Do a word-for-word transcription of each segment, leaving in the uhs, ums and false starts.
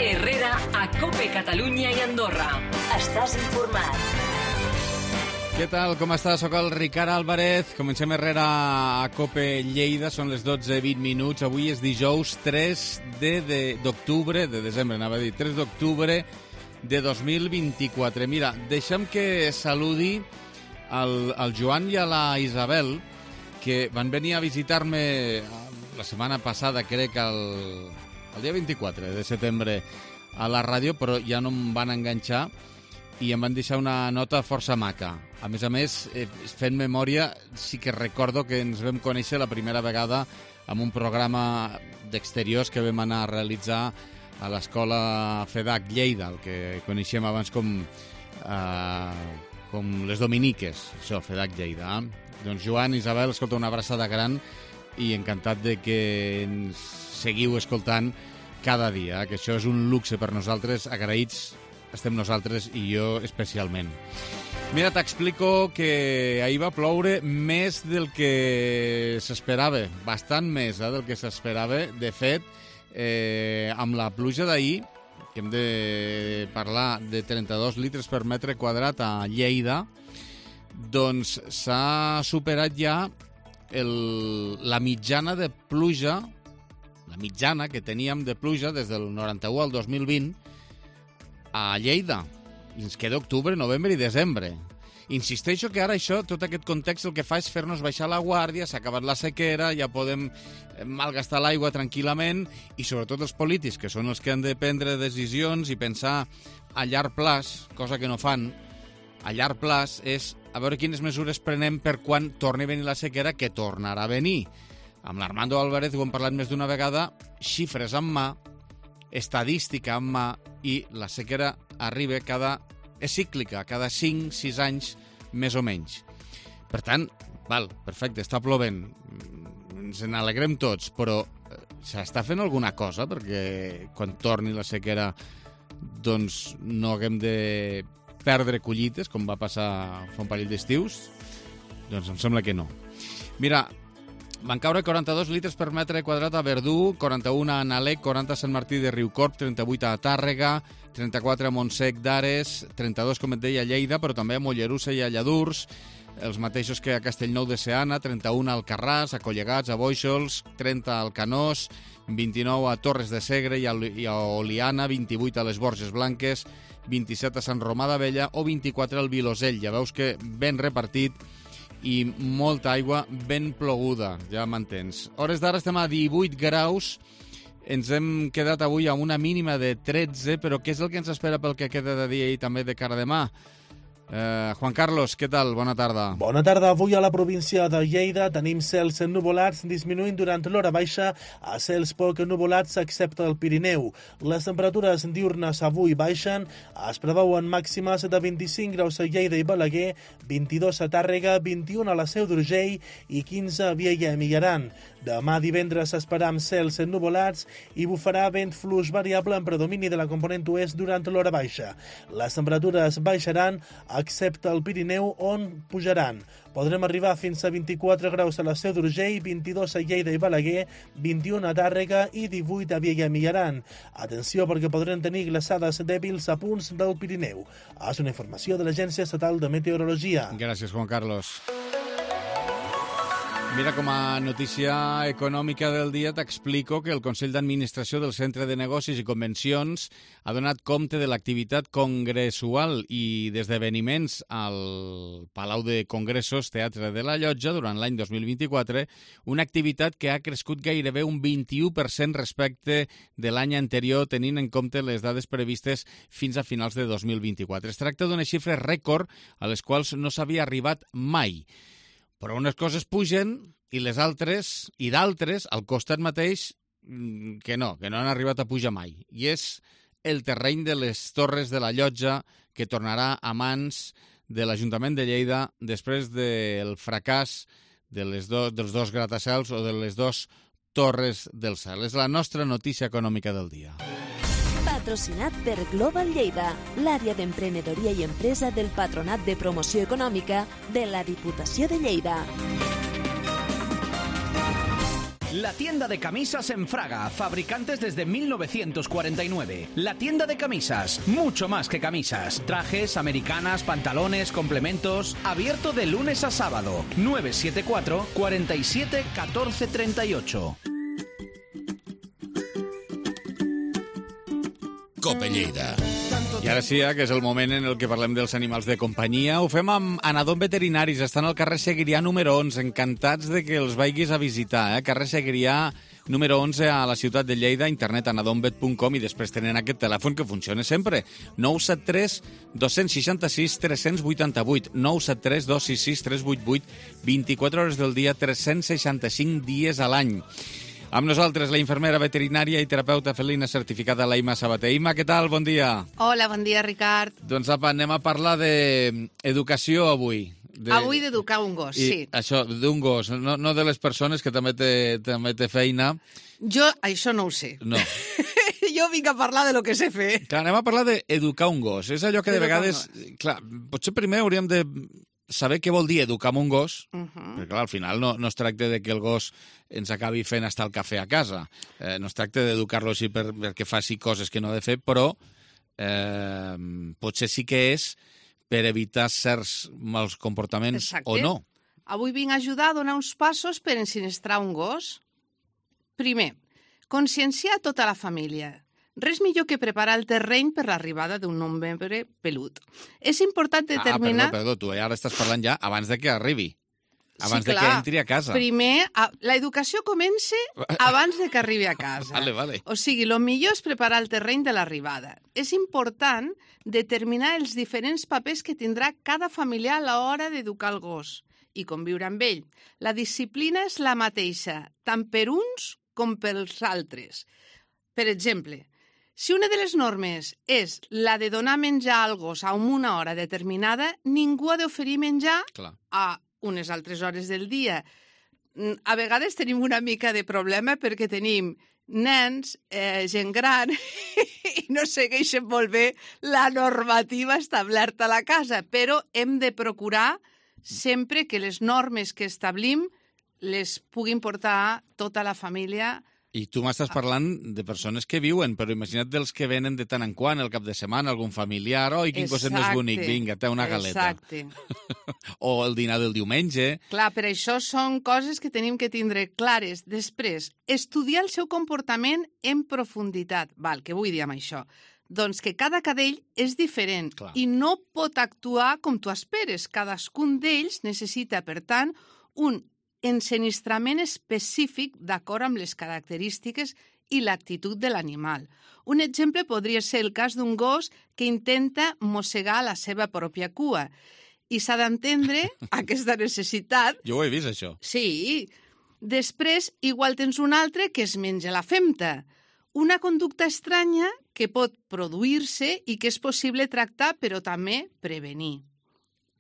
Herrera a COPE Catalunya i Andorra. Estàs informat. Què tal, com estàs? Soc el Ricard Álvarez. Comencem Herrera a COPE Lleida. Són les dotze i vint minuts. Avui és dijous tres d'octubre, de, de desembre, anava a dir, tres d'octubre de dos mil vint-i-quatre. Mira, deixa'm que saludi al, al Joan i a la Isabel, que van venir a visitar-me la setmana passada, crec, el, el dia vint-i-quatre de setembre a la ràdio, però ja no em van enganxar i em van deixar una nota força maca. A més a més, eh, fent memòria, sí que recordo que ens vam conèixer la primera vegada amb un programa d'exteriors que vam anar a realitzar a l'escola FEDAC Lleida, el que coneixem abans com, eh, com les Dominiques, això, FEDAC Lleida. Eh? Doncs Joan, Isabel, escolta, una abraçada gran i encantat de que ens seguiu escoltant cada dia, que això és un luxe per nosaltres, agraïts estem nosaltres i jo especialment. Mira, t'explico que ahir va ploure més del que s'esperava, bastant més eh, del que s'esperava. De fet, eh, amb la pluja d'ahir, que hem de parlar de trenta-dos litres per metre quadrat a Lleida, doncs s'ha superat ja el, la mitjana de pluja, la mitjana que teníem de pluja des del noranta-u al dos mil vint a Lleida. I ens queda octubre, novembre i desembre. Insisteixo que ara això, tot aquest context, el que fa és fer-nos baixar la guàrdia, s'ha acabat la sequera, ja podem malgastar l'aigua tranquil·lament, i sobretot els polítics, que són els que han de prendre decisions i pensar a llarg plaç, cosa que no fan, a llarg plaç, és a veure quines mesures prenem per quan torni a venir la sequera, que tornarà a venir. Amb l'Armando Álvarez ho hem parlat més d'una vegada, xifres en mà, estadística en mà, i la sequera arriba cada... és cíclica, cada cinc sis anys, més o menys. Per tant, val, perfecte, està plovent, ens n'alegrem tots, però s'està fent alguna cosa perquè quan torni la sequera doncs no haguem de perdre collites, com va passar fa un parell d'estius? Doncs em sembla que no. Mira, van caure quaranta-dos litres per metre quadrat a Verdú, quaranta-un a Nalec, quaranta a Sant Martí de Riucorb, trenta-vuit a Tàrrega, trenta-quatre a Montsec d'Ares, trenta-dos, com et deia, a Lleida, però també a Mollerussa i a Lladurs, els mateixos que a Castellnou de Seana, trenta-un a Alcarràs, a Collegats, a Bóixols, trenta al Canós, vint-i-nou a Torres de Segre i a, i a Oliana, vint-i-vuit a les Borges Blanques, vint-i-set a Sant Romà d'Abella o vint-i-quatre al Vilosell. Ja veus que ben repartit i molta aigua ben ploguda, ja m'entens. Hores d'ara estem a divuit graus, ens hem quedat avui amb una mínima de tretze, però què és el que ens espera pel que queda de dia i també de cara a demà? Eh, Juan Carlos, què tal? Bona tarda. Bona tarda. Avui a la província de Lleida tenim cels ennuvolats disminuint durant l'hora baixa a cels poc ennuvolats excepte el Pirineu. Les temperatures diurnes avui baixen, es preveuen màximes de vint-i-cinc graus a Lleida i Balaguer, vint-i-dos a Tàrrega, vint-i-un a la Seu d'Urgell i quinze a Vielha i Mijaran. Demà divendres esperam cels ennuvolats i bufarà vent fluix variable en predomini de la component oest durant l'hora baixa. Les temperatures baixaran excepte el Pirineu, on pujaran. Podrem arribar fins a vint-i-quatre graus a la Seu d'Urgell, vint-i-dos a Lleida i Balaguer, vint-i-un a Tàrrega i divuit a Vielha i Mijaran. Atenció perquè podrem tenir glaçades dèbils a punts del Pirineu. És una informació de l'Agència Estatal de Meteorologia. Gràcies, Juan Carlos. Mira, com a notícia econòmica del dia t'explico que el Consell d'Administració del Centre de Negocis i Convencions ha donat compte de l'activitat congressual i d'esdeveniments al Palau de Congressos Teatre de la Llotja durant l'any dos mil vint-i-quatre, una activitat que ha crescut gairebé un vint-i-u per cent respecte de l'any anterior, tenint en compte les dades previstes fins a finals de dos mil vint-i-quatre. Es tracta d'unes xifres rècord a les quals no s'havia arribat mai. Però unes coses pugen i les altres, i d'altres, al costat mateix, que no, que no han arribat a pujar mai. I és el terreny de les Torres de la Llotja, que tornarà a mans de l'Ajuntament de Lleida després del fracàs de les do, dels dos gratacels o de les dues Torres del Cel. És la nostra notícia econòmica del dia. Patrocinat per Global Lleida, l'àrea d'emprenedoria i empresa del Patronat de Promoció Econòmica de la Diputació de Lleida. La tienda de camisas en Fraga, fabricantes desde mil novecientos cuarenta y nueve. La tienda de camisas, mucho más que camisas. Trajes, americanas, pantalones, complementos. Abierto de lunes a sábado. nueve siete cuatro, cuarenta y siete, catorce treinta y ocho. Cope Lleida. I ara sí, eh, que és el moment en el que parlem dels animals de companyia. Ho fem amb Anadom Veterinaris. Estan al carrer Seguirià número onze. Encantats de que els vagis a visitar. Eh? Carrer Seguirià número onze a la ciutat de Lleida, internet anadomvet punt com, i després tenen aquest telèfon que funciona sempre. nou set tres, dos sis sis, tres vuit vuit. nou set tres, dos sis sis, tres vuit vuit. vint-i-quatre hores del dia, tres cents seixanta-cinc dies a l'any. Amb nosaltres, la infermera veterinària i terapeuta felina certificada Laima Sabater. Ima, què tal? Bon dia. Hola, bon dia, Ricard. Doncs apa, anem a parlar d'educació avui. De... Avui d'educar un gos, I sí. Això, d'un gos, no, no de les persones, que també té, també té feina. Jo això no ho sé. No. Jo vinc a parlar de lo que sé fer. Clar, anem a parlar d'educar un gos. És allò que de vegades... Clar, potser primer hauríem de saber què vol dir educar un gos, uh -huh. perquè clar, al final no, no es tracta de que el gos ens acabi fent estar el cafè a casa. Eh, no es tracta d'educar-lo així per, perquè faci coses que no ha de fer, però eh, potser sí que és per evitar certs mals comportaments. Exacte. O no. Avui vinc a ajudar a donar uns passos per ensinistrar un gos. Primer, conscienciar tota la família. Res millor que preparar el terreny per l'arribada d'un nou membre pelut. És important determinar... Ah, perdó, perdó, tu ara estàs parlant ja abans de que arribi. Abans sí, de que entri a casa. Primer, l'educació comença abans de que arribi a casa. Vale, vale. O sigui, el millor és preparar el terreny de l'arribada. És important determinar els diferents papers que tindrà cada familiar a l'hora d'educar el gos i conviure amb ell. La disciplina és la mateixa, tant per uns com pels altres. Per exemple, si una de les normes és la de donar menjar al gos a una hora determinada, ningú ha d'oferir menjar Clar. a unes altres hores del dia. A vegades tenim una mica de problema perquè tenim nens, eh, gent gran, i no segueixen molt bé la normativa establerta a la casa, però hem de procurar sempre que les normes que establim les puguin portar tota la família. I tu m'estàs parlant de persones que viuen, però imagina't dels que venen de tant en quant, el cap de setmana, algun familiar, oi, quin gosset més bonic, vinga, té una galeta. Exacte. O el dinar del diumenge. Clar, per això són coses que tenim que tindre clares. Després, estudiar el seu comportament en profunditat. Val, què vull dir amb això? Doncs que cada cadell és diferent Clar. i no pot actuar com tu esperes. Cadascun d'ells necessita, per tant, un ensinistrament específic d'acord amb les característiques i l'actitud de l'animal. Un exemple podria ser el cas d'un gos que intenta mossegar la seva pròpia cua. I s'ha d'entendre aquesta necessitat. Jo ho he vist, això. Sí. Després, igual tens un altre que es menja la femta. Una conducta estranya que pot produir-se i que és possible tractar, però també prevenir.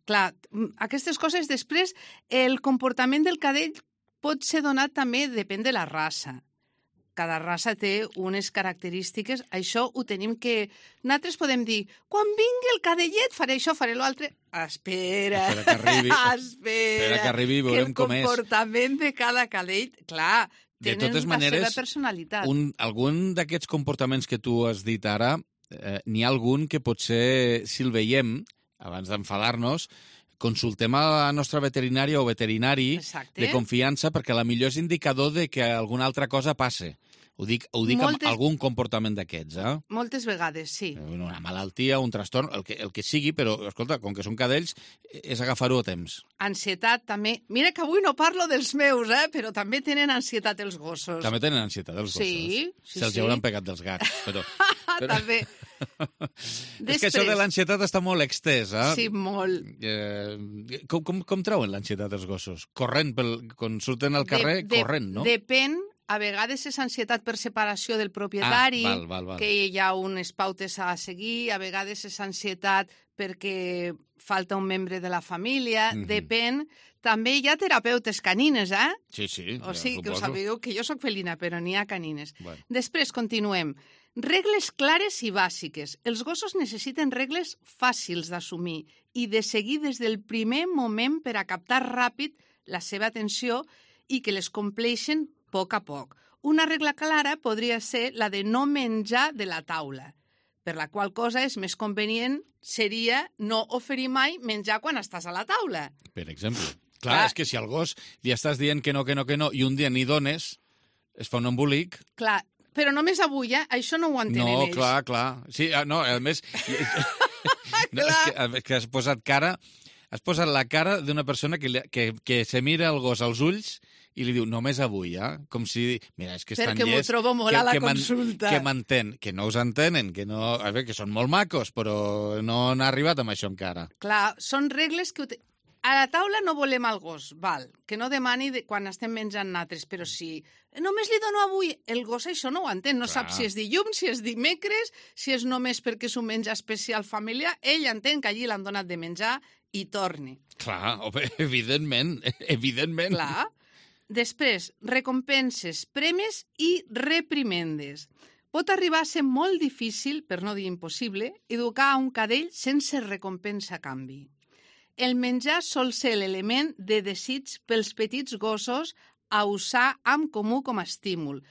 Clar, aquestes coses després, el comportament del cadell pot ser donat també, depèn de la raça. Cada raça té unes característiques, això ho tenim que... Nosaltres podem dir, quan vingui el cadellet faré això, faré l'altre... Espera, espera que arribi, espera, espera que arribi i veurem com és. Que el comportament de cada cadell, clar, de tenen totes la maneres, seva personalitat. Un, algun d'aquests comportaments que tu has dit ara, eh, n'hi ha algun que potser, si el veiem, abans d'enfadar-nos, consultem a la nostra veterinària o veterinari Exacte. de confiança, perquè la millor és indicador de que alguna altra cosa passe. Ho dic, ho dic Moltes... amb algun comportament d'aquests, eh? Moltes vegades, sí. Una malaltia, un trastorn, el que, el que sigui, però, escolta, com que són cadells, és agafar-ho a temps. Ansietat, també. Mira que avui no parlo dels meus, eh? Però també tenen ansietat els gossos. També tenen ansietat els gossos. Sí, sí, Se'ls sí. hauran pegat dels gats, però... però... també. Després... És que això de l'ansietat està molt extès, eh? Sí, molt. Eh, com, com, com treuen l'ansietat els gossos? Corrent, pel, quan surten al carrer, de, de, corrent, no? Depèn. A vegades és ansietat per separació del propietari, ah, val, val, val. que hi ha unes pautes a seguir, a vegades és ansietat perquè falta un membre de la família, mm-hmm. depèn. També hi ha terapeutes canines, eh? Sí, sí. O sigui, que ho sabeu, que jo sóc felina, però n'hi ha canines. Bueno. Després, continuem. Regles clares i bàsiques. Els gossos necessiten regles fàcils d'assumir i de seguir des del primer moment per a captar ràpid la seva atenció i que les compleixen a poc a poc. Una regla clara podria ser la de no menjar de la taula, per la qual cosa és més convenient seria no oferir mai menjar quan estàs a la taula. Per exemple. Clar, Clar. és que si al gos li estàs dient que no, que no, que no, i un dia n'hi dones, es fa un embolic. Clar, però només avui, eh? Això no ho entenen No, ells. clar, clar. Sí, ah, no, a més... no, és, que, és que has posat cara... Has posat la cara d'una persona que, li, que, que se mira el gos als ulls i li diu, només avui, eh? Com si... Mira, és que estan Perquè m'ho llest... trobo molt que, a la que consulta. Que m'entén, que no us entenen, que no... A veure, que són molt macos, però no han arribat amb això encara. Clar, són regles que... A la taula no volem el gos, val, que no demani de quan estem menjant natres, però si només li dono avui, el gos això no ho entén, no Clar. sap si és dilluns, si és dimecres, si és només perquè és un menjar especial familiar, ell entén que allí l'han donat de menjar i torni. Clar, home, evidentment, evidentment. Clar. Després, recompenses, premis i reprimendes. Pot arribar a ser molt difícil, per no dir impossible, educar a un cadell sense recompensa a canvi. El menjar sol ser l'element de desig pels petits gossos a usar amb comú com a estímul.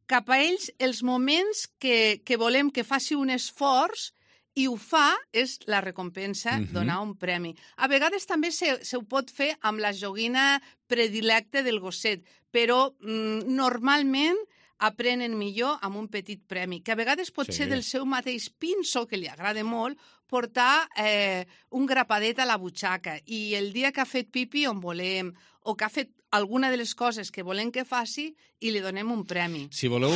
Cap a ells, els moments que, que volem que faci un esforç i ho fa és la recompensa, Mhm. donar un premi. A vegades també se, se ho pot fer amb la joguina predilecte del gosset, però mm, normalment aprenen millor amb un petit premi, que a vegades pot Sí. ser del seu mateix pinso, que li agrada molt, portar eh, un grapadet a la butxaca i el dia que ha fet pipi on volem o que ha fet alguna de les coses que volem que faci i li donem un premi. Si voleu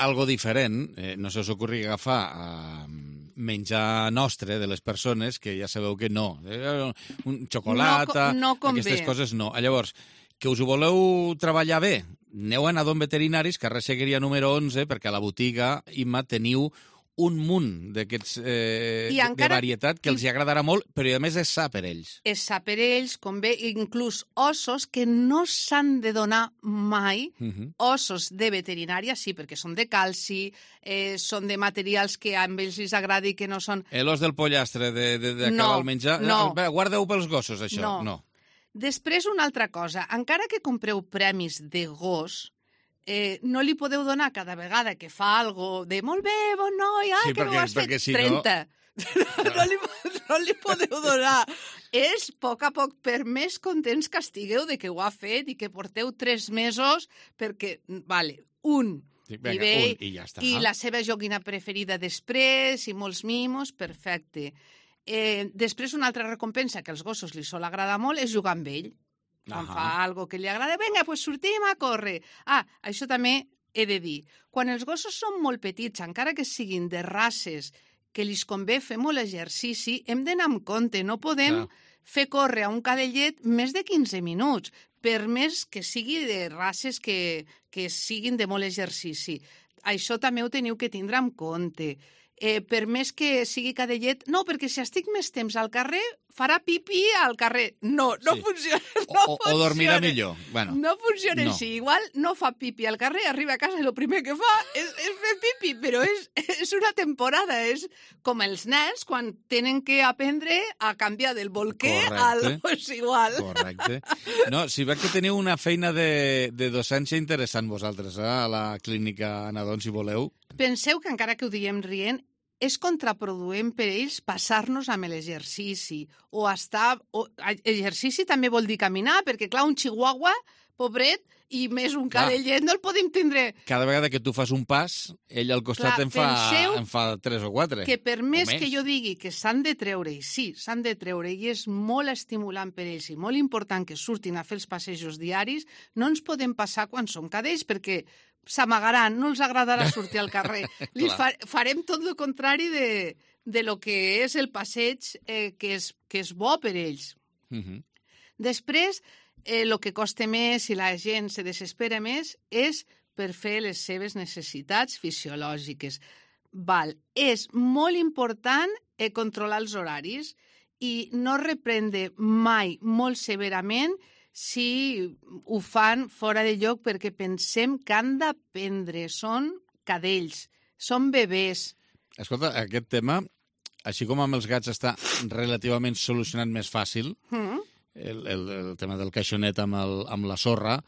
algo diferent, eh, no se us ocorri agafar eh, menjar nostre de les persones, que ja sabeu que no. Eh, un xocolata, No co- no convé. aquestes coses no. Llavors, que us ho voleu treballar bé, aneu a Nadon Veterinaris, carrer Seguiria número onze, perquè a la botiga Imma teniu un munt d'aquests eh, I de encara- varietat que els hi agradarà molt, però a més és sa per ells. És sa per ells, convé, inclús ossos que no s'han de donar mai, Uh -huh. ossos de veterinària, sí, perquè són de calci, eh, són de materials que a ells els agrada i que no són... L'os del pollastre de, de, de No, el menjar... no. Eh, guardeu pels gossos, això. No. no. Després, una altra cosa. Encara que compreu premis de gos, eh, no li podeu donar cada vegada que fa algo de molt bé, bon noi, ai, Sí, que perquè- no ho has fet, perquè si no- trenta. No, li, no li podeu donar. És a poc a poc, per més contents que estigueu de que ho ha fet i que porteu tres mesos, perquè, vale, un, Sí, i vinga, bé, un, i ja està. i la seva joguina preferida després, i molts mimos, perfecte. Eh, després, una altra recompensa que als gossos li sol agradar molt és jugar amb ell. Quan Ahà. fa algo que li agrada, vinga, pues sortim a córrer. Ah, això també he de dir. Quan els gossos són molt petits, encara que siguin de races que li convé fer molt exercici, hem d'anar amb compte. No podem Clar. fer córrer a un cadellet més de quinze minuts, per més que sigui de races que, que siguin de molt exercici. Això també ho teniu que tindre en compte. Eh, per més que sigui cadellet, no, perquè si estic més temps al carrer, farà pipí al carrer. No, no Sí. funciona. O, No o, o dormirà funciona. millor. Bueno, No funciona no. així. Igual no fa pipi al carrer, arriba a casa i el primer que fa és, és fer pipi, però és, és una temporada. És com els nens quan tenen que aprendre a canviar del bolquer al... Correcte. Pues igual. correcte. No, si veig que teniu una feina de, de docència interessant vosaltres, eh? A la clínica Nadon, si voleu. Penseu que encara que ho diem rient, és contraproduent per ells passar-nos amb l'exercici o estar... O, exercici també vol dir caminar, perquè, clar, un chihuahua, pobret, i més un Clar. cadellet, no el podem tindre. Cada vegada que tu fas un pas, ell al costat Clar, en, fa, penseu en fa tres o quatre. Que per més, O que jo digui que s'han de treure, i sí, s'han de treure, i és molt estimulant per ells i molt important que surtin a fer els passejos diaris, no ens podem passar quan som cadells, perquè s'amagaran, no els agradarà sortir al carrer. Li fa, farem tot el contrari de, de lo que és el passeig eh, que, és, que és bo per ells. Uh -huh. Després, el eh, que costa més i la gent se desespera més és per fer les seves necessitats fisiològiques. Val. És molt important eh, controlar els horaris i no reprendre mai molt severament si ho fan fora de lloc, perquè pensem que han d'aprendre. Són cadells, són bebès. Escolta, aquest tema, així com amb els gats està relativament solucionat més fàcil, Mm? el, el, el tema del caixonet amb, el, amb la sorra,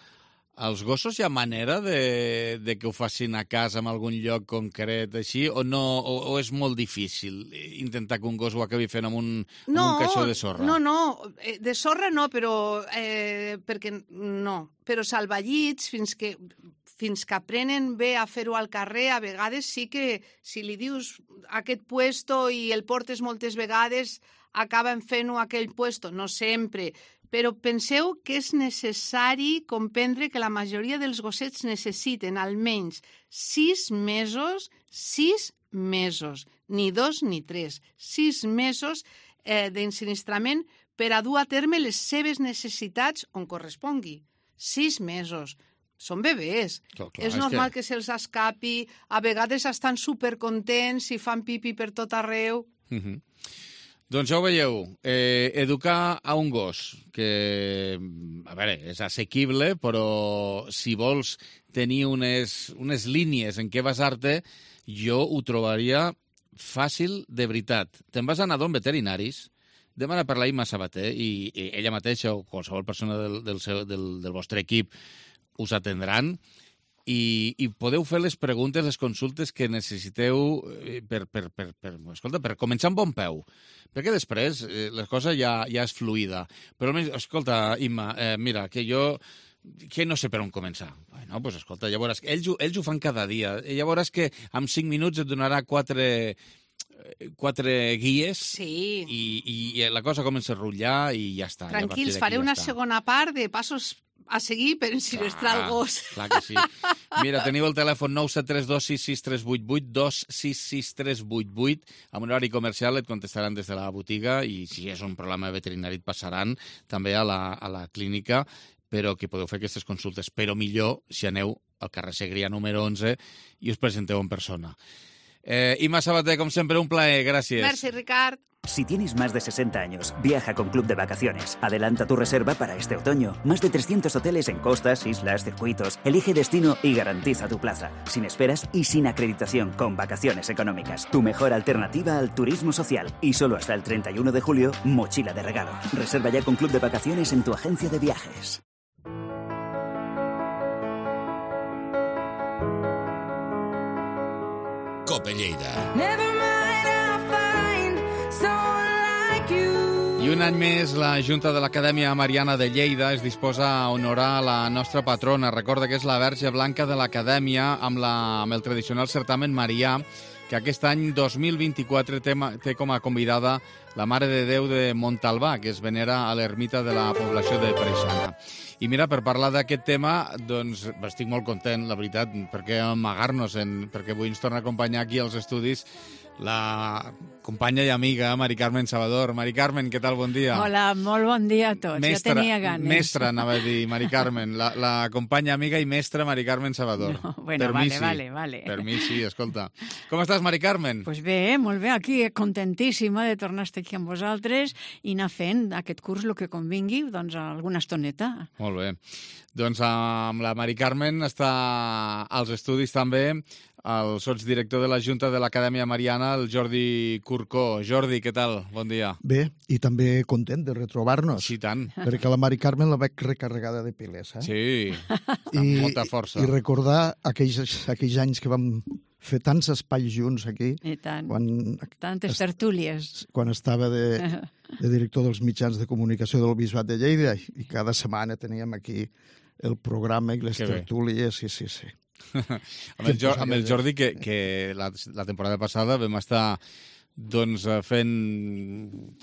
Els gossos hi ha manera de, de que ho facin a casa en algun lloc concret, així, o no, o, o és molt difícil intentar que un gos ho acabi fent amb un, amb No, un caixó de sorra? no, no, eh, de sorra no, però eh, perquè no, però salvallits fins que fins que aprenen bé a fer-ho al carrer, a vegades sí que si li dius aquest puesto i el portes moltes vegades, acaben fent-ho a aquell puesto, no sempre. Però penseu que és necessari comprendre que la majoria dels gossets necessiten almenys sis mesos, sis mesos, ni dos ni tres, sis mesos eh, d'ensinistrament per a dur a terme les seves necessitats on correspongui. Sis mesos. Són bebès. Clar, clar, és és normal que- que, que se'ls escapi, a vegades estan supercontents i fan pipi per tot arreu. Uh -huh. Doncs ja ho veieu, eh, educar a un gos, que, a veure, és assequible, però si vols tenir unes, unes línies en què basar-te, jo ho trobaria fàcil de veritat. Te'n vas anar d'on veterinaris, demana per la Imma Sabater, i, i ella mateixa o qualsevol persona del, del, seu, del, del vostre equip us atendran, i, i podeu fer les preguntes, les consultes que necessiteu per, per, per, per, escolta, per començar amb bon peu. Perquè després eh, la cosa ja, ja és fluida. Però, escolta, Imma, eh, mira, que jo que no sé per on començar. Bueno, pues, escolta, ja veuràs, ells, ells ho fan cada dia. Ja veuràs que en cinc minuts et donarà quatre, quatre guies Sí. i, i la cosa comença a rotllar i ja està. Tranquils, ja faré una ja està. segona part de passos a seguir per ensinistrar el gos. Clar que sí. Mira, teniu el telèfon nou set tres dos sis sis tres vuit vuit, dos sis sis tres vuit vuit, amb un horari comercial et contestaran des de la botiga i si és un problema veterinari et passaran també a la, a la clínica, però que podeu fer aquestes consultes. Però millor si aneu al carrer Segrià número onze i us presenteu en persona. Eh, Imma Sabater, com sempre, un plaer. Gràcies. Merci, Ricard. Si tienes más de sesenta años, viaja con Club de Vacaciones. Adelanta tu reserva para este otoño. Más de trescientos hoteles en costas, islas, circuitos. Elige destino y garantiza tu plaza. Sin esperas y sin acreditación, con vacaciones económicas. Tu mejor alternativa al turismo social. Y solo hasta el treinta y uno de julio, mochila de regalo. Reserva ya con Club de Vacaciones en tu agencia de viajes. Cope Lleida. I un any més, la Junta de l'Acadèmia Mariana de Lleida es disposa a honorar la nostra patrona. Recorda que és la Verge Blanca de l'Acadèmia amb, la, amb el tradicional certamen marià, que aquest any dos mil vint-i-quatre té, té com a convidada la Mare de Déu de Montalbà, que es venera a l'ermita de la població de Preixana. I mira, per parlar d'aquest tema, doncs estic molt content, la veritat, perquè amagar-nos, en, perquè avui ens torna a acompanyar aquí als estudis la companya i amiga Mari Carmen Salvador. Mari Carmen, què tal? Bon dia. Hola, molt bon dia a tots. Mestra, ja tenia ganes. Mestra, anava a dir, Mari Carmen. La, la companya, amiga i mestra Mari Carmen Salvador. No, bueno, per vale, mi sí. vale, vale. Per mi sí, escolta. Com estàs, Mari Carmen? Pues bé, molt bé, aquí contentíssima de tornar a estar aquí amb vosaltres i anar fent aquest curs el que convingui, doncs alguna estoneta. Molt bé. Doncs amb la Mari Carmen està als estudis també el sotsdirector de la Junta de l'Acadèmia Mariana, el Jordi Curcó. Jordi, què tal? Bon dia. Bé, i també content de retrobar-nos. Sí, tant. Perquè la Mari Carmen la veig recarregada de piles, eh? Sí, I, amb molta força. I recordar aquells, aquells anys que vam fer tants espais junts aquí. I tant. Quan, Tantes tertúlies. Quan estava de, de director dels mitjans de comunicació del Bisbat de Lleida i cada setmana teníem aquí el programa i les que tertúlies, sí, sí, sí. amb, el, amb el Jordi, que, que la, la temporada passada vam estar doncs fent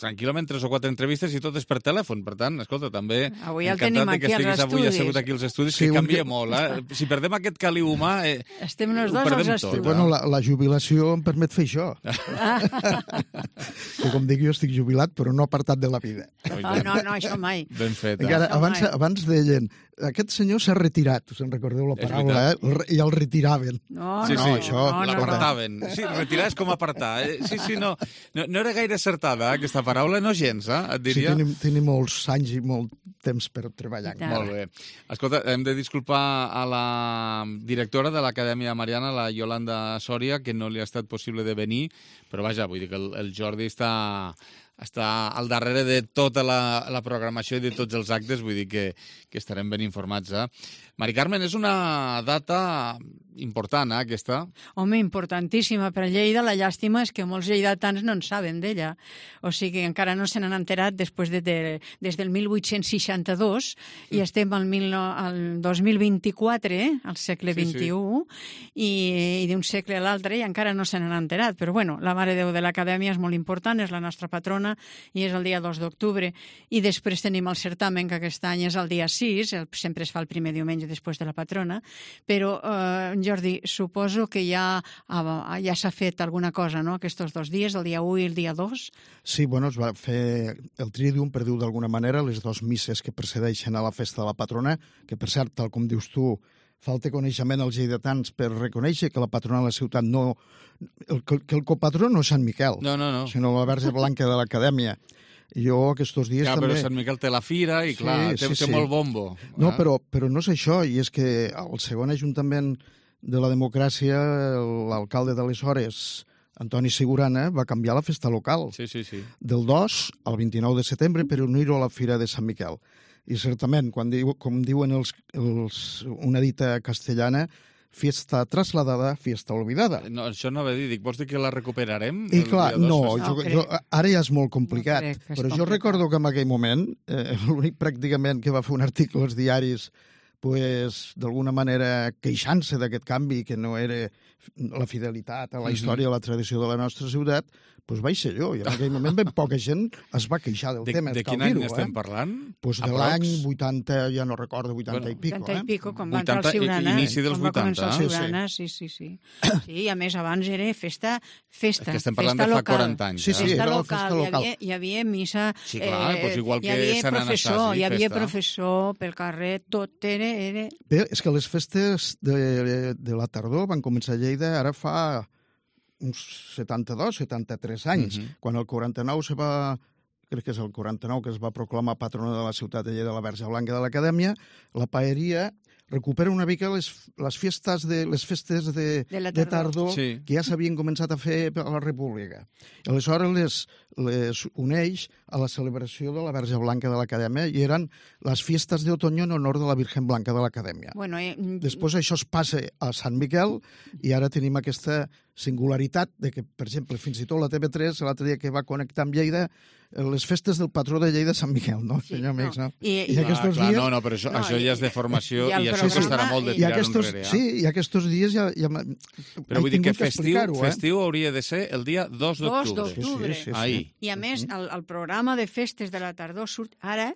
tranquil·lament tres o quatre entrevistes i totes per telèfon. Per tant, escolta, també avui el tenim aquí als estudis. Avui assegut aquí als estudis, sí, que canvia que... molt. Eh? Si perdem aquest caliu humà... Eh, Estem els dos als estudis. Sí, bueno, la, la jubilació em permet fer això. Que com dic, jo estic jubilat, però no apartat de la vida. No, no, no, això mai. Ben fet. Encara, abans, abans deien, aquest senyor s'ha retirat, us en recordeu la paraula, eh? I el retiraven. No, sí, no, sí, això... No, no, l'apartaven. No. Sí, retirar és com apartar. Eh? Sí, sí, no, no, no era gaire acertada, eh, aquesta paraula, no gens, eh, et diria. Sí, tenim, tenim molts anys i molt temps per treballar. Molt bé. Escolta, hem de disculpar a la directora de l'Acadèmia Mariana, la Yolanda Sòria, que no li ha estat possible de venir, però vaja, vull dir que el, el Jordi està està al darrere de tota la, la programació i de tots els actes, vull dir que, que estarem ben informats. Eh? Mari Carmen, és una data important, eh, aquesta? Home, importantíssima per a Lleida. La llàstima és que molts lleidatans no en saben d'ella. O sigui, encara no se n'han enterat després de, de, des del mil vuit-cents seixanta-dos mm. i estem al, mil, al dos mil vint-i-quatre, eh, al segle vint-i-u, sí, sí. i, i d'un segle a l'altre i encara no se n'han enterat. Però bueno, la Mare de Déu de l'Acadèmia és molt important, és la nostra patrona i és el dia dos d'octubre. I després tenim el certamen, que aquest any és el dia sis, el, sempre es fa el primer diumenge després de la patrona, però eh, Jordi, suposo que ja, ja s'ha fet alguna cosa, no?, aquests dos dies, el dia u i el dia dos? Sí, bueno, es va fer el Tridium, per dir-ho d'alguna manera, les dues misses que precedeixen a la festa de la patrona, que per cert, tal com dius tu, falta coneixement als lleidatans per reconèixer que la patrona de la ciutat no... El, que el copatró no és Sant Miquel, no, no, no. sinó la Verge Blanca de l'Acadèmia. Jo aquests dies ja, també... Però Sant Miquel té la fira i, clar, sí, té, sí, té sí. molt bombo. No, eh? però, però no és això, i és que el segon ajuntament de la democràcia, l'alcalde d'aleshores, Antoni Sigurana, va canviar la festa local. Sí, sí, sí. Del dos al vint-i-nou de setembre per unir-ho a la fira de Sant Miquel. I certament, quan diu, com diuen els, els, una dita castellana, fiesta trasladada, fiesta olvidada. No, això no va dir, dic, vols dir que la recuperarem? I clar, no, no jo, jo, ara ja és molt complicat, no però jo complicat. Recordo que en aquell moment, eh, l'únic pràcticament que va fer un article als diaris, pues, d'alguna manera queixant-se d'aquest canvi, que no era la fidelitat a la història, a la tradició de la nostra ciutat, pues vaig ser jo. I en aquell moment ben poca gent es va queixar del de, tema. De quin any estem eh? parlant? Pues de l'any vuitanta, ja no recordo, vuitanta bueno, i pico. vuitanta eh? i pico, quan va entrar el Siurana. Inici dels vuitanta. Va començar el vuitanta. Siurana, sí, sí, sí. Sí, i a més, abans era festa, festa, que estem parlant festa de fa local. quaranta anys. Sí, sí, festa era la local. festa local. Hi havia, hi havia missa, sí, clar, eh, doncs igual hi que havia Sant professor, Anastasi, hi havia festa. professor pel carrer, tot era... era... Bé, és que les festes de, de la tardor van començar a Lleida ara fa uns setanta-dos, setanta-tres anys, uh-huh. quan el quaranta-nou se va, crec que és el quaranta-nou que es va proclamar patrona de la ciutat de Lleida, la Verge Blanca de l'Acadèmia, la paeria recupera una mica les, les festes de les festes de, de, de tardor sí. que ja s'havien començat a fer a la República. Aleshores les, les uneix a la celebració de la Verge Blanca de l'Acadèmia i eren les festes d'otoño en honor de la Virgen Blanca de l'Acadèmia. Bueno, eh... Després això es passa a Sant Miquel i ara tenim aquesta singularitat de que, per exemple, fins i tot la T V tres, l'altre dia que va connectar amb Lleida, les festes del patró de Lleida, Sant Miquel, no, sí, senyor amics, no? I, I, i clar, aquests clar, dies... No, no, però això, no, això ja és de formació i, i això costarà molt de tirar enrere. Eh? Sí, i aquests dies ja... ja però vull dir que festiu, eh? festiu hauria de ser el dia dos d'octubre. dos d'octubre. Sí, sí, sí, sí. Ahir. I a més, el, el programa de festes de la tardor surt ara,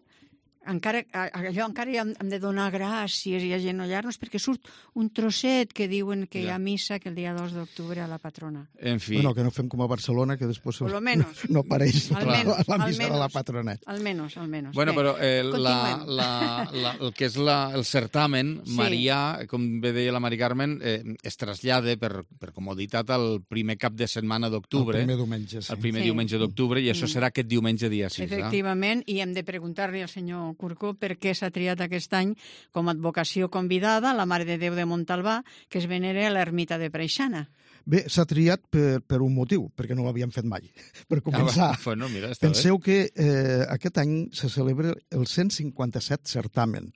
encara, allò encara hem, hem de donar gràcies i agenollar-nos perquè surt un trosset que diuen que ja. hi ha missa que el dia dos d'octubre a la patrona. En fi. Bueno, que no fem com a Barcelona, que després Por lo menos. no apareix al la, menos, la missa menos, de la patrona. Almenys, almenys. Bueno, Bé, però eh, la, la, la, el que és la, el certamen, sí. Marià, com bé deia la Mari Carmen, eh, es trasllada per, per comoditat al primer cap de setmana d'octubre. El primer diumenge, sí. El primer sí. diumenge d'octubre, i això Mm. serà aquest diumenge dia sis. Efectivament, eh? I hem de preguntar-li al senyor Curcó per què s'ha triat aquest any com a advocació convidada la Mare de Déu de Montalbà, que es venera a l'ermita de Preixana. Bé, s'ha triat per, per un motiu, perquè no l'havien fet mai. Per començar, Ah, bueno, mira, està penseu bé. que eh, aquest any se celebra el cent cinquanta-set certamen.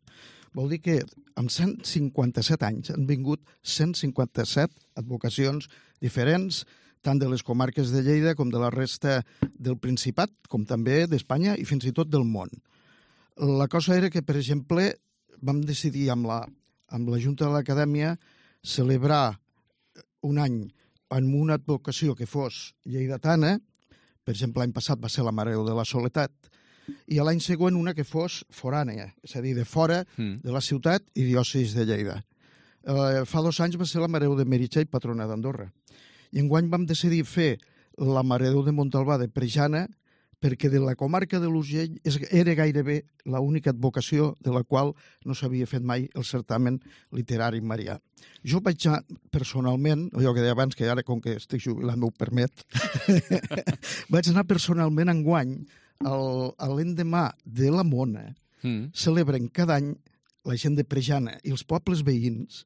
Vol dir que en cent cinquanta-set anys han vingut cent cinquanta-set advocacions diferents, tant de les comarques de Lleida com de la resta del Principat, com també d'Espanya i fins i tot del món. La cosa era que, per exemple, vam decidir amb la, amb la Junta de l'Acadèmia celebrar un any amb una advocació que fos lleidatana, per exemple, l'any passat va ser la Mare de la Soledat, i l'any següent una que fos forània, és a dir, de fora Mm. de la ciutat i diòcesis de Lleida. Eh, fa dos anys va ser la Mare de Meritxell, patrona d'Andorra. I enguany vam decidir fer la Mare de Montalbà de Preixana, perquè de la comarca de l'Urgell era gairebé l'única advocació de la qual no s'havia fet mai el certamen literari marià. Jo vaig anar personalment, allò que deia abans, que ara com que estic jubilant m'ho permet, vaig anar personalment enguany a l'endemà de la Mona, mm. celebren cada any la gent de Preixana i els pobles veïns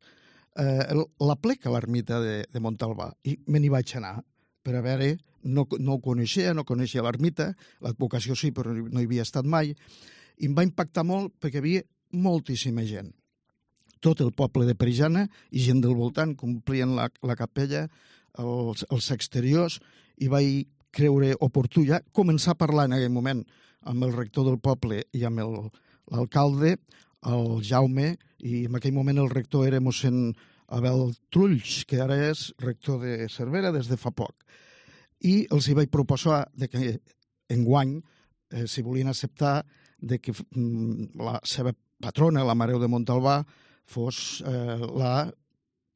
eh, la plec a l'ermita de, de Montalbà, i me n'hi vaig anar per a veure no, no ho coneixia, no coneixia l'ermita, l'advocació sí, però no hi havia estat mai, i em va impactar molt perquè hi havia moltíssima gent. Tot el poble de Preixana i gent del voltant complien la, la capella, els, els exteriors, i vaig creure oportú ja començar a parlar en aquell moment amb el rector del poble i amb el, l'alcalde, el Jaume, i en aquell moment el rector era mossèn Abel Trulls, que ara és rector de Cervera des de fa poc. I els hi vaig proposar de que enguany, eh, si volien acceptar, de que mm, la seva patrona, la Mare de Montalbà, fos eh, la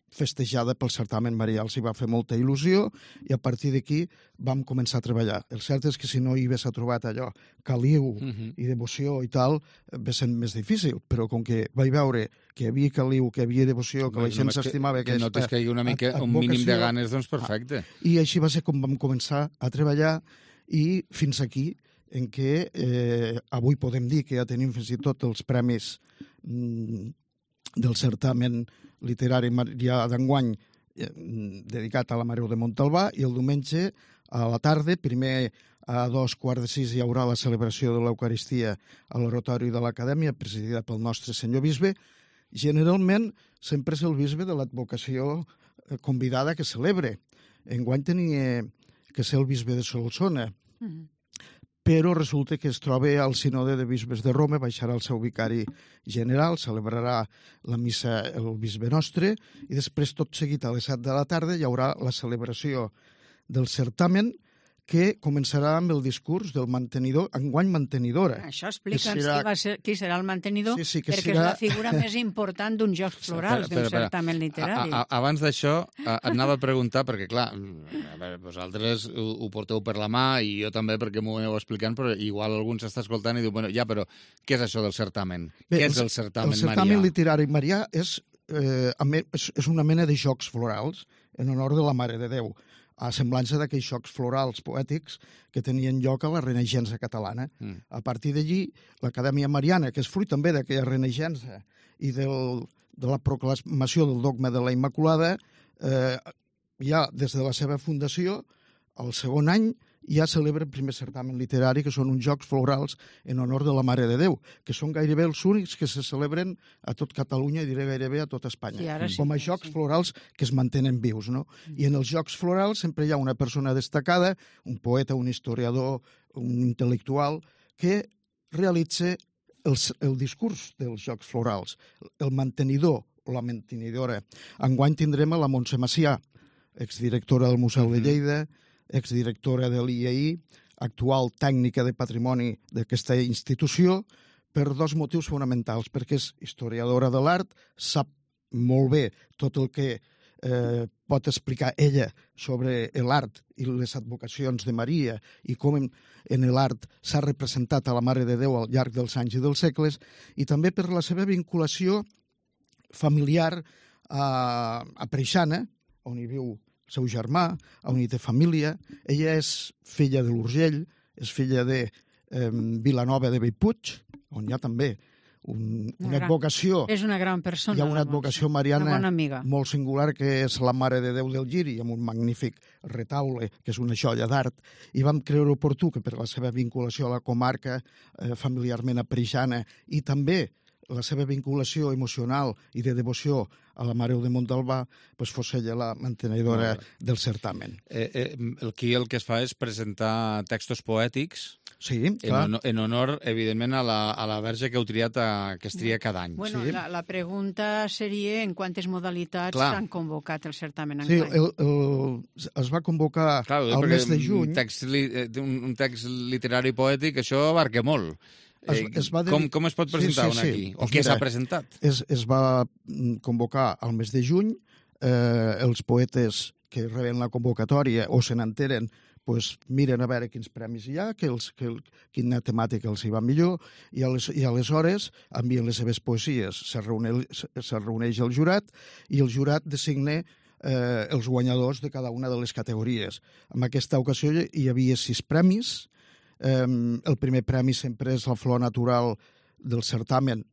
festejada pel certamen marià. Els hi va fer molta il·lusió i a partir d'aquí vam començar a treballar. El cert és que si no hi hagués trobat allò, caliu uh-huh. i devoció i tal, va ser més difícil, però com que vaig veure que hi havia caliu, que hi havia devoció, que la gent s'estimava que, que notes que hi ha una mica, un mínim de ganes, doncs perfecte. I així va ser com vam començar a treballar i fins aquí en què eh, avui podem dir que ja tenim fins i tot els premis mm, del certamen literari marià d'enguany eh, dedicat a la Mare de Montalbà, i el diumenge a la tarda, primer a dos quarts de sis, hi haurà la celebració de l'Eucaristia a l'Oratori de l'Acadèmia, presidida pel nostre senyor bisbe. Generalment sempre és el bisbe de l'advocació convidada que celebre. Enguany tenia que ser el bisbe de Solsona, mm-hmm. però resulta que es troba al Sinode de Bisbes de Roma, baixarà el seu vicari general, celebrarà la missa el bisbe nostre, i després, tot seguit, a les set de la tarda, hi haurà la celebració del certamen, que començarà amb el discurs del mantenidor, enguany mantenidora. Això explica'ns serà... qui, va ser, qui serà el mantenidor, sí, sí, perquè serà... és la figura més important d'uns Jocs Florals, d'un certamen literari. A, a, abans d'això, et anava a preguntar, perquè clar, a veure, vosaltres ho, ho porteu per la mà, i jo també, perquè m'ho aneu explicant, però igual algú s'està escoltant i diu, bueno, ja, però què és això del certamen? Bé, què és el certamen marià? El certamen literari marià és, eh, és, és una mena de Jocs Florals en honor de la Mare de Déu, a semblança d'aquells xocs florals poètics que tenien lloc a la Renaixença catalana. Mm. A partir d'allí, l'Acadèmia Mariana, que és fruit també d'aquella Renaixença i del, de la proclamació del dogma de la Immaculada, eh, ja des de la seva fundació, el segon any, ja celebra el primer certamen literari, que són uns Jocs Florals en honor de la Mare de Déu, que són gairebé els únics que se celebren a tot Catalunya, i diré gairebé a tot Espanya, sí, sí, com a Jocs sí. Florals que es mantenen vius, no? Mm. I en els Jocs Florals sempre hi ha una persona destacada, un poeta, un historiador, un intel·lectual, que realitza el, el discurs dels Jocs Florals, el mantenidor o la mantenidora. Enguany tindrem a la Montse Macià, exdirectora del Museu de Lleida, exdirectora de l'I A I, actual tècnica de patrimoni d'aquesta institució, per dos motius fonamentals, perquè és historiadora de l'art, sap molt bé tot el que eh, pot explicar ella sobre l'art i les advocacions de Maria i com en, en l'art s'ha representat a la Mare de Déu al llarg dels anys i dels segles, i també per la seva vinculació familiar a, a Preixana, on hi viu el seu germà, on hi té família. Ella és filla de l'Urgell, és filla de eh, Vilanova de Bellpuig, on hi ha també un, una, una advocació. És una gran persona. Hi ha una advocació mariana molt singular, que és la Mare de Déu del Giri, amb un magnífic retaule, que és una joia d'art. I vam creure oportú que per la seva vinculació a la comarca, eh, familiarment a Preixana, i també la seva vinculació emocional i de devoció a la Mare de Montalbà, pues fos ella la mantenedora del certamen. Eh, eh, aquí el que es fa és presentar textos poètics, sí, en, en honor, evidentment, a la, a la Verge que heu triat, a, que es tria cada any. Bueno, sí. la, la pregunta seria en quantes modalitats s'han convocat el certamen sí, enguany. El, el, es va convocar Clar, al mes de juny. Un text, li, un, un text literari poètic, això abarca molt. Es, es va de... com, com es pot presentar sí, sí, un aquí? Sí. O què s'ha presentat? Es, es va convocar al mes de juny. Eh, els poetes que reben la convocatòria o se n'enteren, pues, miren a veure quins premis hi ha, que els, que, quina temàtica els hi va millor, i, ales, i aleshores envien les seves poesies. Se reuneix, se reuneix el jurat i el jurat designa eh, els guanyadors de cada una de les categories. En aquesta ocasió hi havia sis premis. Um, el primer premi sempre és la flor natural del certamen,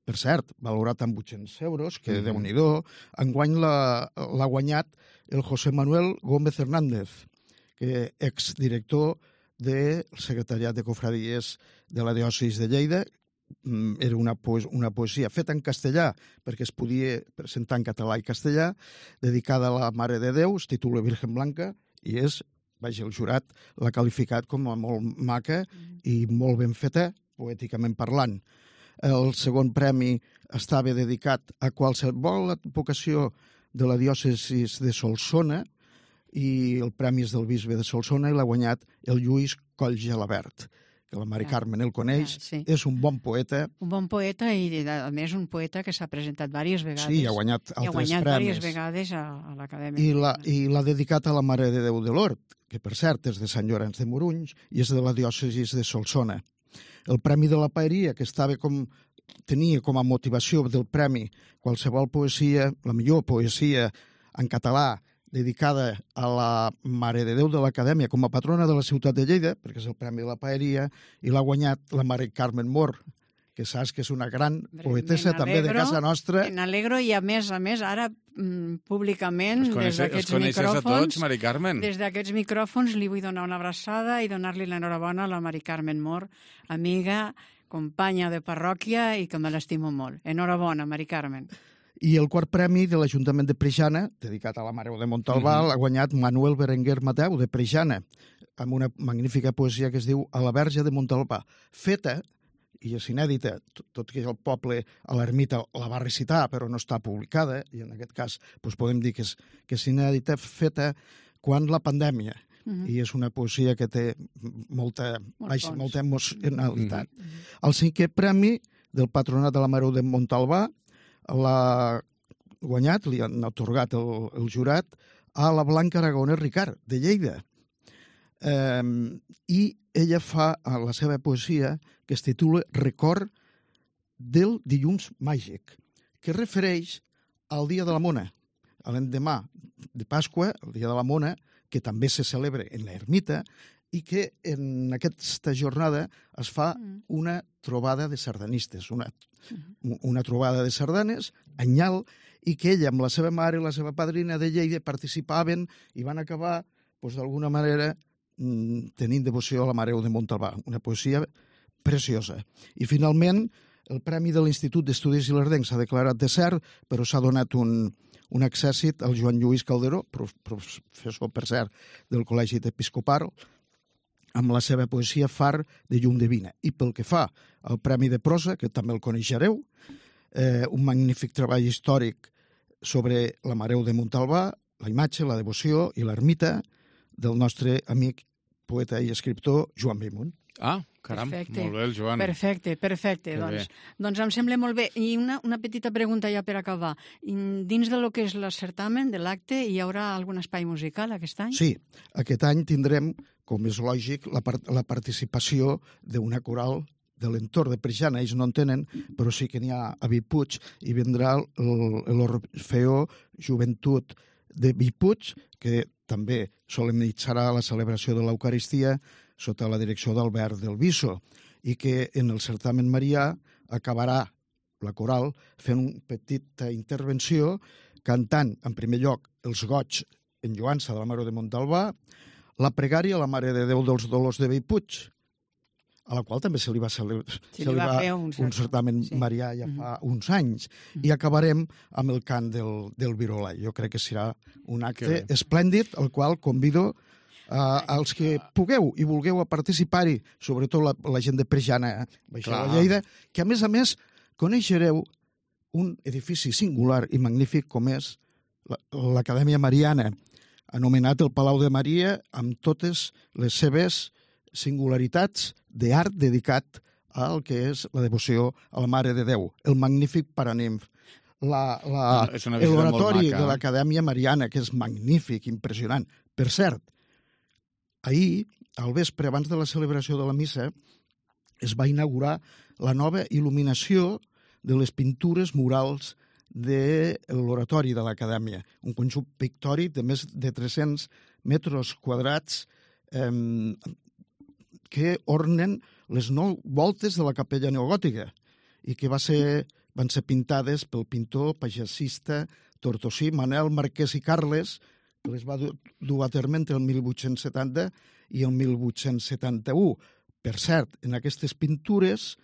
per cert, valorat amb vuit-cents euros, que mm-hmm. Déu-n'hi-do. Enguany l'ha guanyat el José Manuel Gómez Hernández, que exdirector del secretariat de cofradies de la diòcesi de Lleida. Era una, poes una poesia feta en castellà, perquè es podia presentar en català i castellà, dedicada a la Mare de Déu, es titula Virgen Blanca, i és, vaja, el jurat l'ha qualificat com a molt maca i molt ben feta, poèticament parlant. El segon premi estava dedicat a qualsevol advocació de la diòcesi de Solsona, i el premi és del bisbe de Solsona i l'ha guanyat el Lluís Coll Gelabert, que la Mari Carmen el coneix, sí. És un bon poeta. Un bon poeta i, a més, un poeta que s'ha presentat diverses vegades. Sí, ha guanyat altres premis. I ha guanyat premis. diverses vegades a, a l'Acadèmia. I l'ha dedicat a la Mare de Déu de l'Hort, que, per cert, és de Sant Llorenç de Morunys i és de la diòcesi de Solsona. El Premi de la Paeria, que estava com, tenia com a motivació del premi qualsevol poesia, la millor poesia en català, dedicada a la Mare de Déu de l'Acadèmia com a patrona de la ciutat de Lleida, perquè és el Premi de la Paeria, i l'ha guanyat la Mare Carmen Mor, que saps que és una gran poetessa també de casa nostra. Me n'alegro i, a més a més, ara mm, públicament, des d'aquests micròfons... a tots, Mari Carmen? Des d'aquests micròfons li vull donar una abraçada i donar-li l'enhorabona a la Mari Carmen Mor, amiga, companya de parròquia i que me l'estimo molt. Enhorabona, Mari Carmen. I el quart premi de l'Ajuntament de Preixana, dedicat a la Mare de Montalbà, mm-hmm. l'ha guanyat Manuel Berenguer Mateu, de Preixana, amb una magnífica poesia que es diu A la Verge de Montalbà, feta, i és inèdita, tot, tot que el poble a l'ermita la va recitar, però no està publicada, i en aquest cas doncs podem dir que és, que és inèdita, feta quan la pandèmia, mm-hmm. i és una poesia que té molta, Molt baix, molta emocionalitat. Mm-hmm. El cinquè premi del Patronat de la Mare de Montalbà l'ha guanyat, li han atorgat el, el jurat, a la Blanca Aragonès Ricard, de Lleida. Eh, I ella fa a la seva poesia, que es titula Record del dilluns màgic, que refereix al Dia de la Mona, a l'endemà de Pasqua, el Dia de la Mona, que també se celebra en l'ermita, i que en aquesta jornada es fa una trobada de sardanistes, una, una trobada de sardanes, anyal, i que ella amb la seva mare i la seva padrina de Lleida participaven i van acabar, doncs, d'alguna manera, tenint devoció a la Mare de Montalbà. Una poesia preciosa. I finalment, el Premi de l'Institut d'Estudis Ilerdencs s'ha declarat de cert, però s'ha donat un, un accèssit al Joan Lluís Calderó, professor, per cert, del Col·legi Episcopal, amb la seva poesia Far de llum divina. I pel que fa al Premi de Prosa, que també el coneixereu, eh, un magnífic treball històric sobre la Mare de Montalbà, la imatge, la devoció i l'ermita del nostre amic, poeta i escriptor Joan Bellmunt. Ah, caram, perfecte. Molt bé, el Joan. Perfecte, perfecte. Doncs, doncs em sembla molt bé. I una, una petita pregunta ja per acabar. Dins de lo que és el certamen, de l'acte, hi haurà algun espai musical aquest any? Sí, aquest any tindrem, com és lògic, la, part la participació d'una coral de l'entorn de Preixana. Ells no en tenen, però sí que n'hi ha a Vipuig, i vendrà l'Orfeó Joventut de Vipuig, que també solemnitzarà la celebració de l'Eucaristia sota la direcció d'Albert del Viso, i que en el certamen marià acabarà la coral fent una petita intervenció cantant, en primer lloc, els goigs en lloança de la Mare de Montalbà, la pregària a la Mare de Déu dels Dolors de Bellpuig, a la qual també se li va, celebrar, se li va fer un, un certamen sí. marià ja fa mm-hmm. uns anys. Mm-hmm. I acabarem amb el cant del, del Virolà. Jo crec que serà un acte esplèndid, al qual convido Uh, els que pugueu i vulgueu a participar-hi, sobretot la, la gent de Preixana, Baixar de Lleida, que a més a més coneixereu un edifici singular i magnífic com és l'Acadèmia Mariana, anomenat el Palau de Maria, amb totes les seves singularitats d'art dedicat al que és la devoció a la Mare de Déu, el magnífic Paranimf, l'oratori de l'Acadèmia Mariana, que és magnífic, impressionant. Per cert, ahir, al vespre, abans de la celebració de la missa, es va inaugurar la nova il·luminació de les pintures murals de l'oratori de l'Acadèmia, un conjunt pictòric de més de tres-cents metres quadrats eh, que ornen les nou voltes de la capella neogòtica i que va ser, van ser pintades pel pintor pagesista tortosí Manel Marquès i Carles, que les va dur a terme entre el mil vuit-cents setanta i el mil vuit-cents setanta-u. Per cert, en aquestes pintures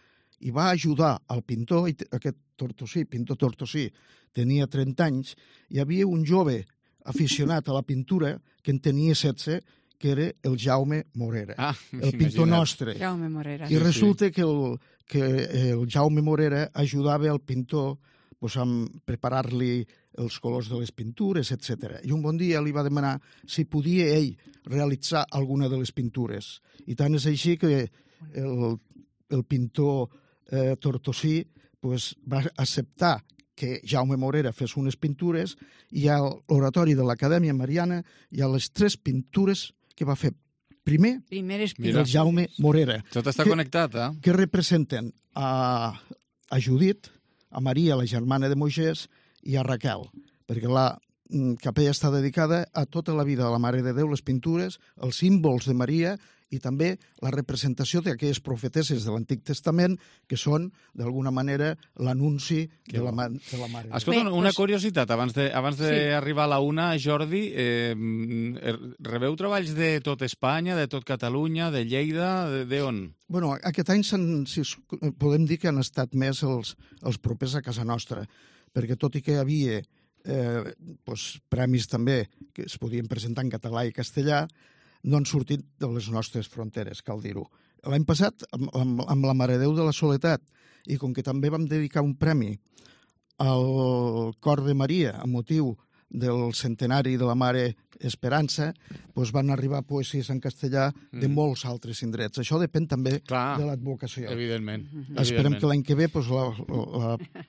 hi va ajudar el pintor, aquest Tortosí, pintor Tortosí, tenia trenta anys, hi havia un jove aficionat a la pintura que en tenia setze, que era el Jaume Morera, ah, el pintor nostre. Jaume Morera. I resulta que el, que el Jaume Morera ajudava al pintor pues, a preparar-li els colors de les pintures, etcètera. I un bon dia li va demanar si podia ell realitzar alguna de les pintures. I tant és així que el, el pintor eh, Tortosí pues, va acceptar que Jaume Morera fes unes pintures i a l'oratori de l'Acadèmia Mariana hi ha les tres pintures que va fer primer Primeres el Jaume Morera. Tot està que, connectat, eh? Que representen a, a Judit, a Maria, la germana de Moisès, i a Raquel, perquè la capella està dedicada a tota la vida de la Mare de Déu, les pintures, els símbols de Maria i també la representació d'aquelles profetesses de l'Antic Testament que són, d'alguna manera, l'anunci de, la, de la Mare de Déu. Escolta, una curiositat, abans d'arribar a la una, Jordi, eh, rebeu treballs de tot Espanya, de tot Catalunya, de Lleida, d'on? Bueno, aquest any si podem dir que han estat més els, els propers a casa nostra, perquè tot i que hi havia eh, doncs, premis també que es podien presentar en català i castellà, no han sortit de les nostres fronteres, cal dir-ho. L'any passat, amb, amb, amb la Mare de Déu de la Soledat, i com que també vam dedicar un premi al Cor de Maria, amb motiu del centenari de la Mare Esperança, doncs van arribar poesies en castellà de mm. molts altres indrets. Això depèn també Clar, de l'advocació. Evidentment. Esperem evidentment. que l'any que ve doncs,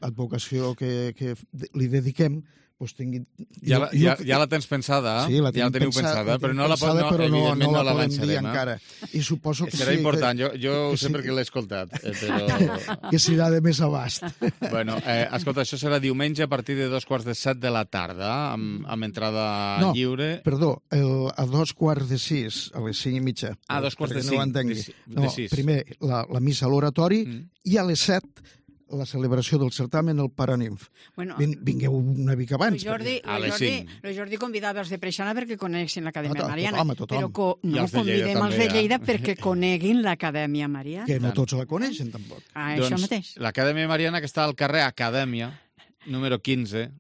l'advocació que, que li dediquem pues tingui... Ja la, ja, ja la tens pensada, eh? Sí, la ja la teniu pensada, pensada, però no la, pensada, no, però no, evidentment no la, no la podem avançarem, dir eh? encara. I suposo que serà sí, important, que, jo, jo ho sé sí, perquè l'he escoltat, eh, però... que serà de més abast. Bueno, eh, escolta, això serà diumenge a partir de dos quarts de set de la tarda, amb, amb entrada no, lliure. Perdó, el, a dos quarts de sis, a les cinc i mitja. Ah, dos quarts de no cinc, de, no, de sis. Primer la, la missa a l'oratori mm. i a les set la celebració del certamen, el Paranimf. Bueno, Vin, vingueu una mica abans. El Jordi, a el les Jordi, cinc. el Jordi convidava els de Preixana perquè coneguessin l'Acadèmia A to- Mariana. tothom, a tothom. Però co I no els de Lleida convidem també, els de eh? Lleida perquè coneguin l'Acadèmia Mariana. Que no tots la coneixen, tampoc. Ah, això Doncs mateix. l'Acadèmia Mariana, que està al carrer Acadèmia, número quinze,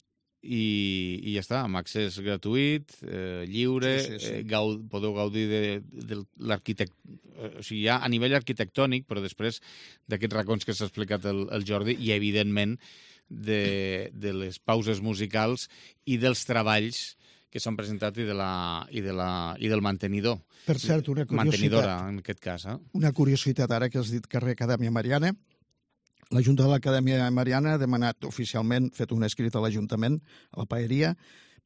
i, i ja està, amb accés gratuït, eh, lliure, Sí, sí, sí. Eh, gau, podeu gaudir de, de l'arquitect... O sigui, ja a nivell arquitectònic, però després d'aquests racons que s'ha explicat el, el Jordi, i evidentment de, de les pauses musicals i dels treballs que s'han presentat i, de la, i, de la, i del mantenidor. Per cert, una Mantenidora, curiositat, en aquest cas. Eh? una curiositat ara que has dit carrer Acadèmia Mariana. La Junta de l'Acadèmia Mariana ha demanat oficialment, fet un escrit a l'Ajuntament, a la Paeria,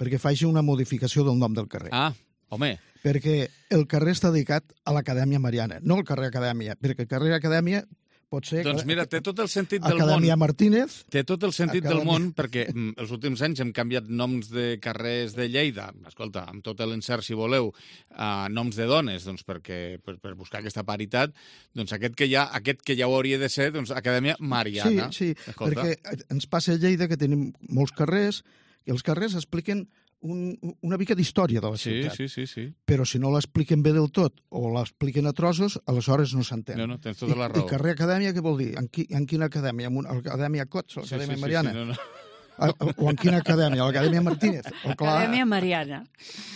perquè faci una modificació del nom del carrer. Ah, home, Perquè el carrer està dedicat a l'Acadèmia Mariana, no al carrer Acadèmia, perquè el carrer Acadèmia pot ser... doncs mira, té tot el sentit del Acadèmia món. Martínez... Té tot el sentit Acadèmia. del món, perquè mm, els últims anys hem canviat noms de carrers de Lleida, escolta, amb tot l'encert, si voleu, uh, noms de dones, doncs perquè, per, per buscar aquesta paritat, doncs aquest que ja, aquest que ja ho hauria de ser, doncs Acadèmia Mariana. Sí, sí, escolta. perquè ens passa a Lleida que tenim molts carrers, i els carrers expliquen un, una mica d'història de la Sí, ciutat. sí, sí, sí. Però si no l'expliquen bé del tot o l'expliquen a trossos, aleshores no s'entén. No, no, tens tota la I, raó. I carrer Acadèmia, què vol dir? En, qui, en quina acadèmia? En una acadèmia Cots, l'Acadèmia sí, sí, Mariana? Sí, sí, no, no. A, o en quina acadèmia? L'Acadèmia Martínez? O clar, Acadèmia Mariana.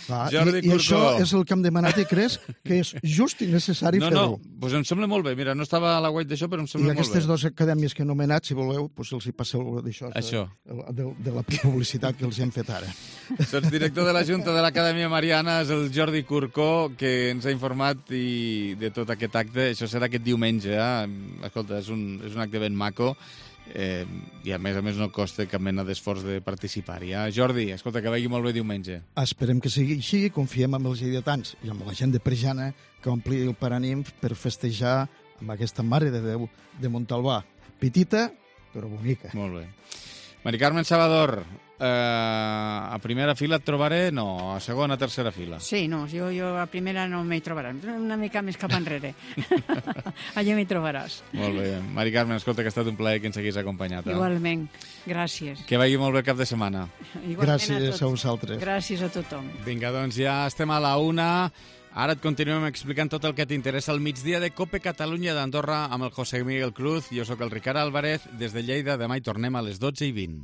clar, Jordi i, I això Curcó. és el que hem demanat i creus que és just i necessari No, no, fer-ho. doncs em sembla molt bé. Mira, no estava a la web d'això, però em I sembla molt aquestes bé. dues acadèmies que he anomenat, si voleu, doncs els hi passeu d'això, Això. de, de, de la publicitat que els hem fet ara. Doncs director de la Junta de l'Acadèmia Mariana és el Jordi Curcó, que ens ha informat i de tot aquest acte. Això serà aquest diumenge, eh? Escolta, és un, és un acte ben maco. Eh, i a més a més no costa cap mena d'esforç de participar-hi. Eh? Jordi, escolta, que vagi molt bé diumenge. Esperem que sigui així, confiem en els lleidatans i amb la gent de Prejana que ompli el Paranimf per festejar amb aquesta Mare de Déu de Montalbà. Petita, però bonica. Molt bé. Mari Carmen Salvador, eh, a primera fila et trobaré, no, a segona, tercera fila. Sí, no, jo, jo a primera no m'hi trobaràs, una mica més cap enrere. Allà m'hi trobaràs. Molt bé. Mari Carmen, escolta, que ha estat un plaer que ens haguis acompanyat. Eh? Igualment, gràcies. Que vagi molt bé el cap de setmana. Igualment Gràcies a, a vosaltres. Gràcies a tothom. Vinga, doncs ja estem a la una. Ara et continuem explicant tot el que t'interessa al migdia de Cope Catalunya d'Andorra amb el José Miguel Cruz. Jo sóc el Ricard Álvarez. Des de Lleida, demà hi tornem a les dotze i vint.